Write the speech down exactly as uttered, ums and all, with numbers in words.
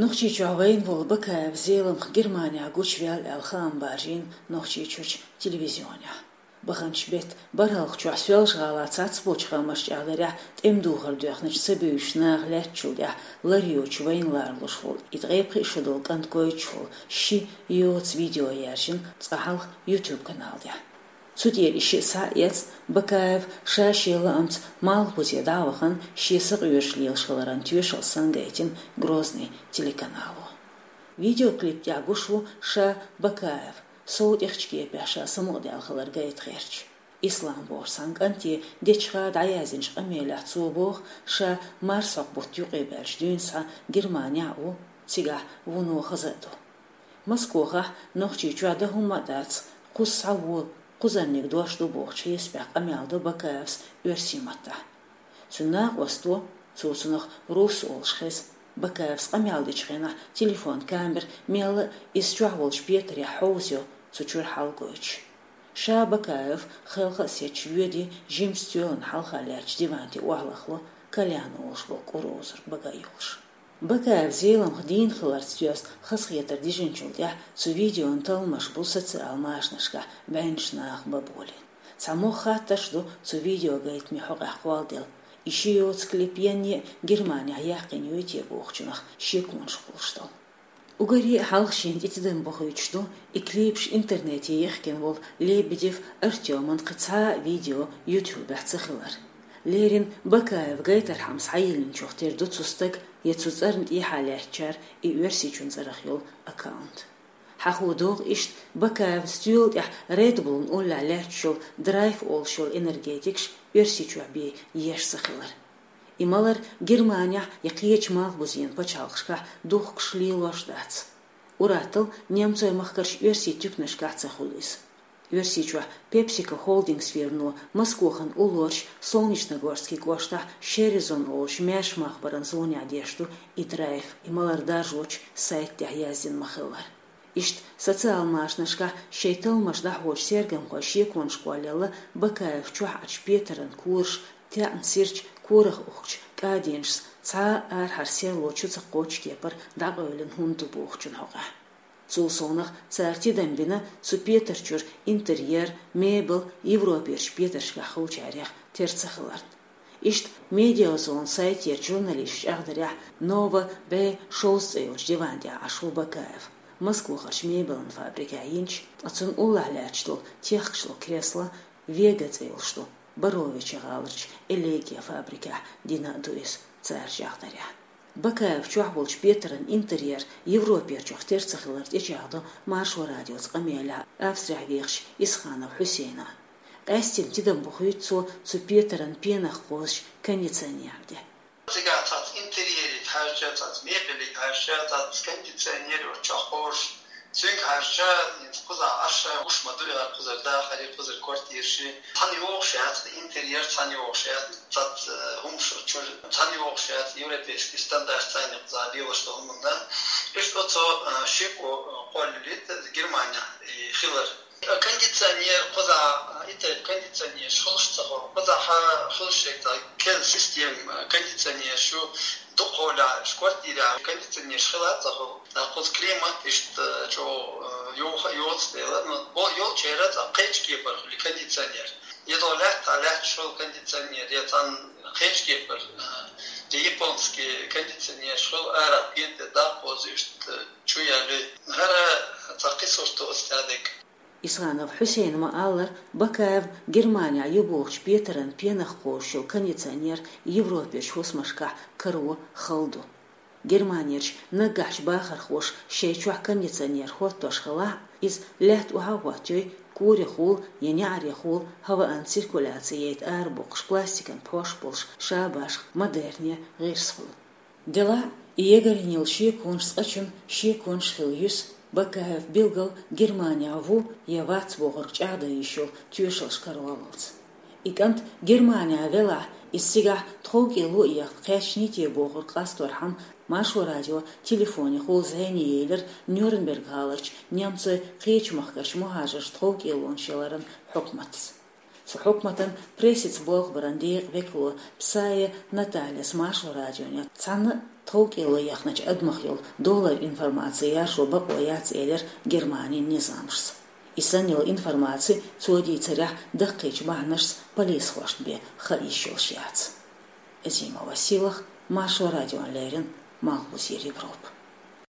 Нохчийчохь вайна волу Бакаев Зеламха Германехь гучуваьлла аьлла хаам баржийна Нохчийчуьрчу телевизионехь. Баханчу беттан бархӀалгӀачохь Соьлжа-ГӀалахь цхьаболчу хаамашна чӀагӀдарехь, тӀеман духар доьхначу ца буьйсучу наха лаьттачул тӀаьхьа лар йоцуш вайна ларалуш волу и ткъе пхи шо долу кӀант гойтуш волу ши йоцу видео яьржина цкъа хьалха YouTube канал тӀехь. Цу тӀера и шиъ схьа а эцна, Бакаев ша шен лаамца Малхбузе дӀа а вахана, шен сакъоьруш лелаш хиларан тоьшалла сан гайтина Грозный телеканало. Видеоклип тӀехь гуш ву ша Бакаев, сов тӀехьчу кепехь ша самукъадаьлла хилар гайта гӀерташ. Ислам бохуш цхьана кӀанте дечиха дӀаяздинчу къамелехь цо боху, ша марсхьокху бутт юкъе баьлча дуьйна схьа Германехь а ву, цигахь вуно хаза а ду. Москохахь, Нохчийчохь дан хӀумма а дац, кхуза схьавола, кхузарниг дош ду бохучу хьесапехь къамел до Бакаевс оьрсийн маттахь. Цуьнан накъосто, цо цунах Рус олуш хеза, Бакаевс къамел дечу хенахь телефон камера мелла а иза чохь волчу петарехь хьовзайо, цу чуьра хьал гойтуш. Ша Бакаев хелха а сецча воьдий жимачу стоьлан хьалха лаьттачу диван тӀе охьалахло, кальян олуш болу кӀур озург бага а йолуш. Бакаев Зеламха дийна хиларца доьзна хазахетар дижинчул тӀаьхьа цу видеон талламаш бу социал машанашкахь бӀеннаш наха бан болийна. Цхьа могӀа хаттарш ду цу видео гайтаме хьокъехь кхолладелла. И ши йоцу клип янне а Германехь яьккхина юй те бохучунах шеконаш хуьлуш долу. Уггаре а хьалха шена тӀе тидам бохуьйтуш ду и клипаш интернете яхкина волу Лебедев Артёман кхин цхьа а видео YouTube-ехь ца хилар. Леррина Бакаев гайтархьама схьайиллинчух тера ду цу стага я цу цӀарна тӀехьа лаьттачара и Оьрсийчун цӀарах йолу аккаунт. Хьахо догӀу иштта, Бакаев стоьла тӀехь Red Bull-н уллехь лаьтташ йолу Драйв олуш йолу энергетикаш Оьрсийчохь бен еш ца хилар. И малар Германехь я кхечу малхбузен пачхьалкхашкахь духкуш лелош дац. Ур-атталла немцойн махкарчу оьрсийн туьканашкахь ца хуьлу иза. Оьрсийчохь PepsiCo холдинг сферано Москохана уллорчу Солнечногорский кӀоштахь Шерезон олучу маьрша махбаран зонехь деш ду и Драйв, и малар даржочу сайта тӀехь яздина ма-хиллара. Иштта социал машанашкахь шайн талламаш дӀахьочу сергамхой шеконаш кхоллаелла Бакаев чохь Ӏачу петаран кораш, таьӀна сирча корах ухкучу кӀаденашца цхьа а арахьара серло чу ца кхочу кепара дӀакъевлина хӀума ду бохучун хьокъехь. Цул совнаха цара тидам бина цу петар чуьра интерьер, мебель Европерчу петаршкахь хуьлучарех тера ца хиларна. Иштта Медиазона сайтерчу журналисташа чӀагӀдарехь, Нова Б шовзткъа цӀе йолчу диван тӀехь Ӏаш ву Бакаев, Москвахарчу мебелан фабрикехь йинчу, ткъа цунна уллехь лаьтташ долу техкаш долу кресло Вега цӀе йолуш ду, Боровичи гӀаларчу Элегия фабрикехь дина а ду иза, цара чӀагӀдарехь. Бакаев чохь волчу петаран интерьер Европерчух тера ца хилар тӀечӀагӀдо Маршо радиоца къамелехь Австрехь вехачу Исханов Хьусейна. Къаьстина тидам бохуьйту цо цу петаран пенах кхозучу кондиционер тӀе. Цигахь цхьацца интерьерига хьаьжча, цхьацца мебелига хьаьжча, цхьацца кондиционер йолчохь кхозуш, цуьнга хьаьжча, хӀинца кхузахь Ӏаш гуш ма ду, я кхузара дахаре, кхузара квартираши. Цхьаьна йогӀуш яц интерьер, цхьаьна йогӀуш яц цхьацца хӀумаш чуьра, цхьаьна йогӀуш яц европейский стандарт цхьаьна кхузахь лелаш долу хӀуманна. Иштта оцо, а, шеко, а, кхоллалийта Германехь и хилар. Кондиционер, кхузахь, а, и тайпа кондиционераш хуьлуш ца хуьлу. Кхузахь хуьлуш шеко, кел система, а, кондиционераш ю, дукхахьолахь, квартирехь кондиционераш хила а ца хуьлу. Кхуза климат иштта чӀогӀа, а, йоха-, йоцу дела, ну, бо-, йолчеран цхьа кхечу кепара хуьлу кондиционер. Я до лаьтта, лаьтташ хуьлу кондиционер, я цхьаьна кхечу кепара, а, я японский кондиционераш хуьлу, арахь пен тӀе даккхоза иштта чу яьлли. ХӀара цхьа кхин сурт ду оцу тӀехь дерг. Исханов Хьусейна ма-аллара, Бакаев Германехь ю бохучу петаран пенах кхозуш йолу кондиционер Европерчу хӀусамашкахь каро хала ду. Германерчу наггахьчу бахархоша шайн чохь кондиционер хӀоттош хилахь а, иза лаьтта охьа а хӀоттайой, корехула я неӀарехула хӀаваан циркуляци яйта арабоккхуш пластикан пхьош болуш шабашха модерне гӀирс хуьлу. Делахь а, и ягарйина йолу шеконаш цкъачунна шеконаш хила юьсу, Бакаев билггал Германехь ву я вац бохург чӀагӀдан йиш йолу тоьшаллаш кароралц. И кӀант Германехь велахь, иза цигахь тховкӀело а ехна кхаьчний те бохург къасторхьама, Маршо радио телефонехула зӀене елира Нюрнберг гӀаларчу немцойн кхечу махкарчу мухӀажаршна тховкӀелонаш яларан хьукматца. Цу хьукматан прессица болх баран декъа векало Псаева Натальяс Маршо радионе цхьана тховкӀело яхнача адамах йолу долара информаци яржо бакъо яц, элира Германин низамашца. И санна йолу информаци, цо дийцарехь, даккхийчу бахьанашца полисхошна бен хаа йиш йолуш яц. Зима Василах, Маршо радиона леррина, Малхбузера Европа.